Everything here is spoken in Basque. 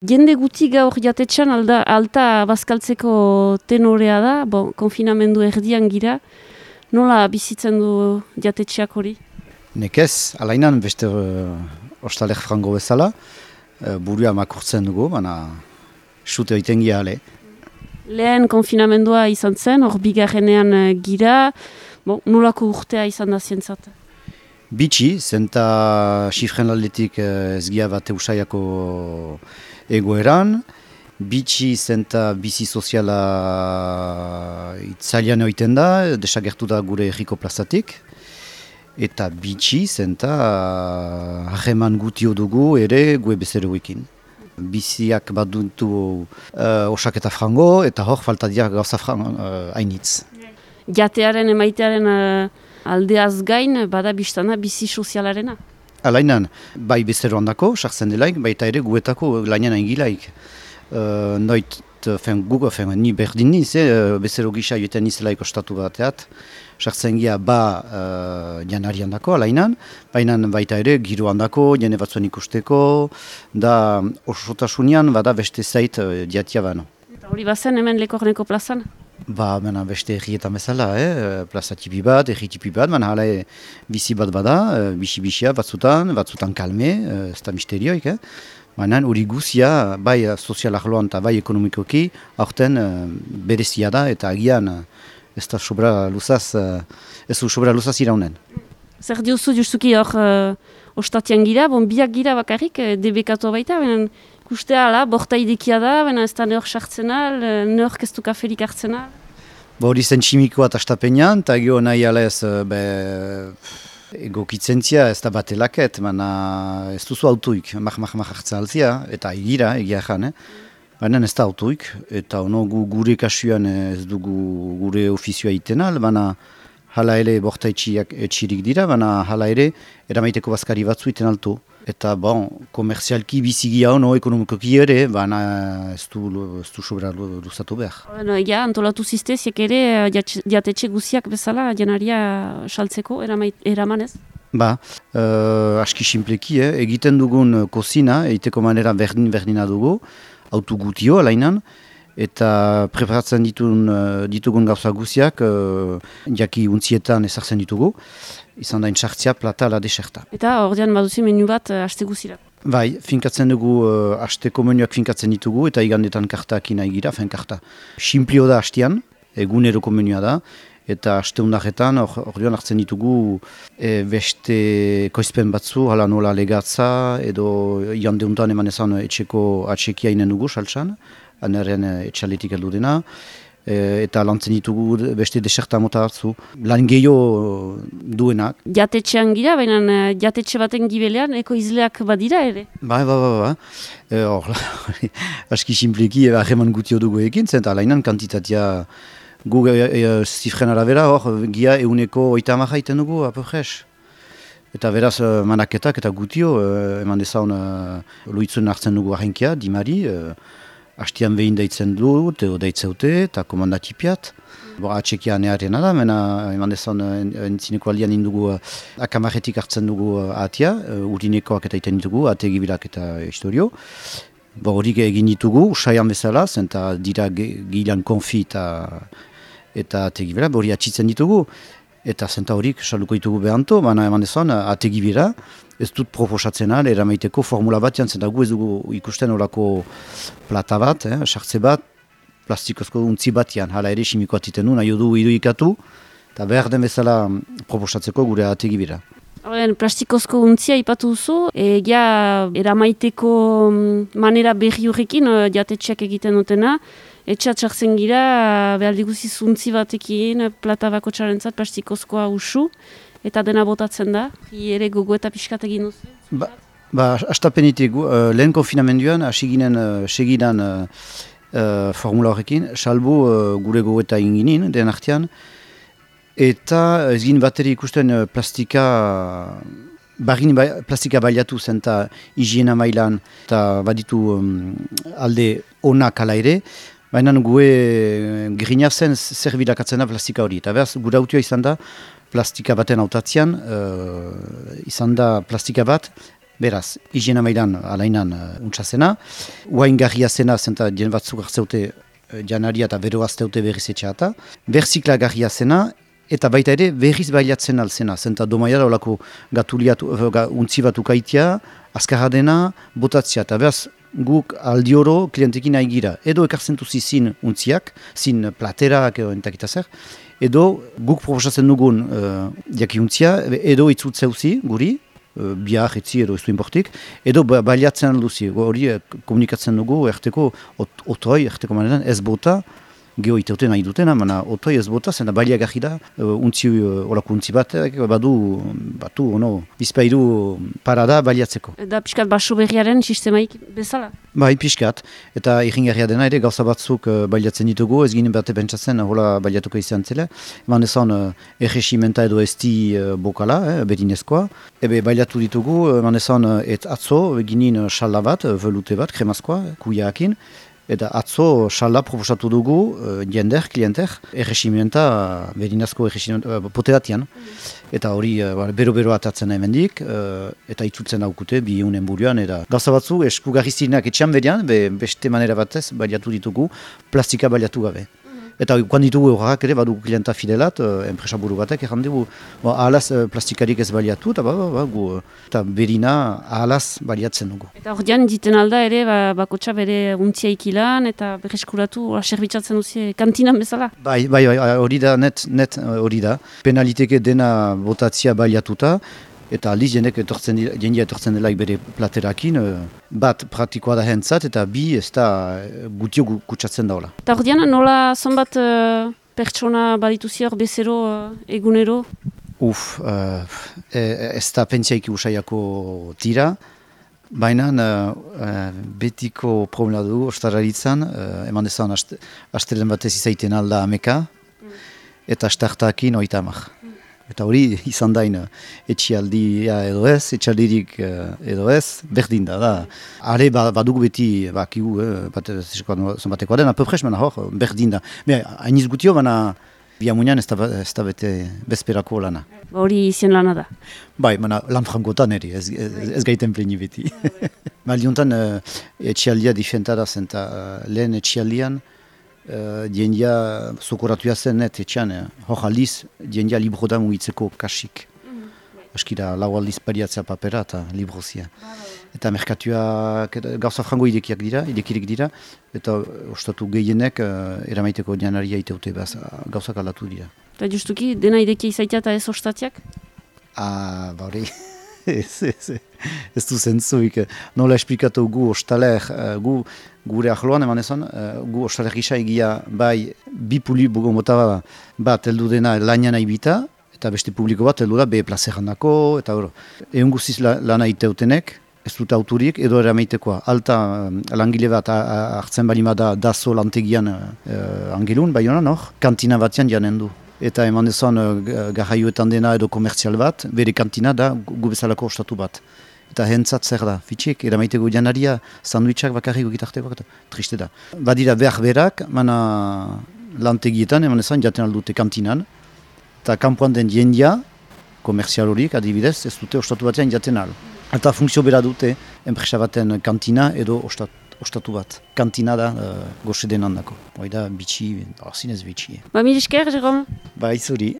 Jende guti gaur jatetxan alta bazkaltzeko tenorea da, konfinamendu erdian gira. Nola bizitzen du jatetxeak hori? Nekez, alainan beste ostalek frango bezala, burua makurtzen dugu, baina sute oiten gira ale. Lehen konfinamendua izan zen, hor bigarrenean gira, nolako urtea izan da zientzat? Bitxi, zenta xifren aldetik ez gira bat eusaiako egoeran, bitxi zenta bizi soziala itzalian oiten da, desagertu da gure erriko plazatik, eta bitxi zenta hageman gutio dugu ere gue bezeroekin. Biziak baduntu osaketa frango, eta hor falta dira gauza hainitz. Jatearen emaitearen aldeaz gain, bada biztana bizi sozialarena? Alainan, bai bezeroan dako, sartzen delaik, baita ere guetako lainan aingilaik. Noit, ni berdin niz, bezero gisa joetan nizelaik ostatu bateat, sartzen gira janarian dako, alainan, baina baita ere giroan dako, jene batzuen ikusteko, da osotasunean bada beste zait diatia bano. Eta hori bazen hemen Lekorneko plazan? Mena beste errietan bezala, plaza tipi bat, erri tipi bat, baina hala bizi bat bada, bisi-bisia batzutan kalme, ez da misterioik, baina hori guzia, bai sozial arloan eta bai ekonomikoki, aurten berezia da eta agian ez da sobra luzaz iraunen. Zer diozu justuki hor ostatian gira, biak gira bakarrik, debekatu baita, baina ikustea ala, borta idekia da, baina ez da nehor sartzen al, nehor kestu kaferik hartzen al. Hori zen tximikoa eta astapenean, eta gio nahi alez egokitzen ez da batelaket, baina ez duzu autuik, hartzen altzia, eta egia ezan, baina ez da autuik, eta ono gure kasuan ez dugu gure ofizioa iten al, baina hala ere borta etxirik dira, baina hala ere eramaiteko bazkari batzu iten altu. Eta komerzialki bizigia ono ekonomikoki ere, baina ez du sobra luzatu behar. Antolatu zizteziek ere jatetxe guziak bezala janaria saltzeko eramanez? Aski simpleki, egiten dugun kozina, egiteko manera berdina dugu, autu gutio alainan, eta preparatzen ditugun gauza guziak, jaki untzietan ezartzen ditugu, izan dain sartzia, plata, ala deserta. Eta ordean baduzi menu bat aste guzira? Bai, finkatzen dugu asteko menuak finkatzen ditugu, eta igandetan kartak nahi gira, karta. Simplio da hastian, eguneroko menua da, eta aste undaretan ordean hartzen ditugu beste koizpen batzu, hala nola legatza, edo jande untan eman ezan etxeko atxekia inen dugu, saltsan, anaren etxaletik heldu dena, eta lantzen ditugu beste deserta mota hartzu, lan gehiago duenak. Jatetxean gira, baina jatetxe baten gibelean ekoizleak badira ere? Ba. Aski simpleki hageman gutio dugu ekin, zenta alainan kantitatea gu zifren arabera hor gia euneko 30 iten dugu, apofresh. Eta beraz manaketak eta gutio, eman dezaun loitzuen hartzen dugu ahenkia, dimari, hastian behin deitzen dut, deitzeute, eta komandatipiat. Atxekia neharena da, eman dezaun entzineko aldean indugu akamaretik hartzen dugu atia, urinekoak eta iten ditugu, ate gibilak eta historio. Horik egin ditugu, usaian bezala, zenta dira gilan konfi eta ate gibila, hori atxitzen ditugu. Eta zenta horik saluko ditugu behanto, baina eman dezaun ate gibila, ez dut proposatzen al, eramaiteko formula bat zenta gu ez dugu ikusten horako plata bat, sartze bat, plastikozko untzi batian, hala ere simikoa titen du, nahi du irudikatu, eta behar den bezala proposatzeko gure ategi bira. Plastikozko untzia ipatu duzu, eramaiteko manera berri horrekin jatetxeak egiten dutena, etxat sartzen gira, behar diguziz untzi batekin, plata bako txarentzat plastikozkoa usu, eta dena botatzen da, ere gogo eta pixkat egin duzu? Astapenetik, lehen konfinamenduan, segidan formula horrekin, salbu gure gogo eta inginin, den artean, eta ez gin bateri ikusten plastika baliatu zen eta higiena mailan, eta baditu alde onak ala ere, baina gue grina zen zer bilakatzen da plastika hori. Eta behaz, gure autioa izan da, plastika baten autatzean, izan da plastika bat, Beraz, higiena mailan alainan untxazena. Uain garria zena, zenta jen batzuk hartzeute janaria eta bero azteute berriz etxeata. Berzikla garria zena, eta baita ere berriz bailatzen alzena. Zenta domaiara olako untzi bat ukaitia, azkarra dena, botatzea. Eta beraz, guk aldioro klientekin nahi gira. Edo ekartzen duzi zin untziak, zin platerak entakita zer. Edo guk proposatzen dugun jakiuntzia, edo itzutzeuzi guri, biak etzi edo ez du importik, edo baliatzen alduzi. Hori komunikatzen dugu erteko otoi, erteko manetan ez bota, geho iteute nahi dutena, mana otoi ez bota, zena baliagarri da, olako untzi bat, batu, bizpairu parada baliatzeko. Da piskat baso berriaren sistemaik bezala? Bai, piskat, eta irringarria dena ere gauza batzuk baliatzen ditugu, ez ginen bate pentsatzen hola baliatuko izan zela. Eman ezan erresimenta edo esti bokala, berinezkoa. Ebe baliatu ditugu, eman ezan atzo ginen xala bat, velute bat, kremazkoa, kuiaakin. Eta atzo xala proposatu dugu jender, klienter, erresimenta, berinazko erresimenta, poteratian. Eta hori bero-bero atatzen hemendik, eta itzutzen daukute, bi eunen buruan. Gauza batzu, eskugarri zirenak etxean berian, beste manera batez, baliatu ditugu, plastika baliatu gabe. Eta guan ditugu horrak ere, badugu klienta fidelat, enpresa buru batek, erran dugu, ahalaz plastikarik ez baliatu, eta berina ahalaz baliatzen dugu. Eta hor dian, diten alda ere, bakotxa bere untzia ikilan, eta berreskuratu, serbitzatzen duzi kantinan bezala? Bai, hori da, net hori da. Penaliteke dena botatzia baliatuta, eta aldiz jendia etortzen delaik bere platerakin, bat praktikoa da hentzat, eta bi ez da gutio kutsatzen daula. Eta hor dian, nola zonbat pertsona badituzi hor bezero egunero? Ez da pentsiaiki usaiako tira, baina betiko problema du ostararitzan, eman dezan astelen batez izaiten alda ameka, eta astartakin 30. Eta hori izan dain etxialdia edo ez, etxaldirik edo ez, berdin da. Are badugu beti, bakigu, zonbatekoa den, apopres, hor, berdin da. Hainiz gutio, baina biamunian ez da bete bezperako lana. Hori izien lana da? Bai, lan frankotan ere, ez gaiten pleni beti. Maldiontan etxialdia difenta da zen, lehen etxialdian, diendia sokoratuia zen net etxean, hor aldiz, diendia libroda mugitzeko kasik. Askira, lau aldiz pariatzea papera eta librozia. Eta merkatuak gauza frango idekirik dira, eta ostatu gehienek eramaiteko janaria iteute gauzak aldatu dira. Eta justuki, dena idekia izaitea eta ez ostatiak? Hori, ez du zentzuik. Nola esplikatu gu ostaler, gure ahloan eman ezan, gu ostaler gisa egia bai bi publiko mota bat heldu dena lanian aibita, eta beste publiko bat heldu da be plazerandako, eta hori. Egun guziz lana iteutenek, ez dut auturik, edo eramaitekoa. Alta langile bat hartzen balimada dazo lantegian angelun, bai honan hor, kantina batean janen du. Eta eman dezan garraioetan dena edo komertzial bat, bere kantina da gu bezalako ostatu bat. Eta hentzat zer da, fitxik, eramaiteko janaria, sandwichak bakarriko gitarteko, eta triste da. Badira behar berak, mana lantegietan, eman dezan, jaten aldute kantinan, eta kanpoan den jendia, komertzial horiek, adibidez, ez dute ostatu batean jaten al. Eta funtzio bera dute, enpresa baten kantina edo ostatu bat. Kantina da goxe den handako. Hoi da bitxi, zinez bitxi. Mil esker, Jérôme. Bai, zuri.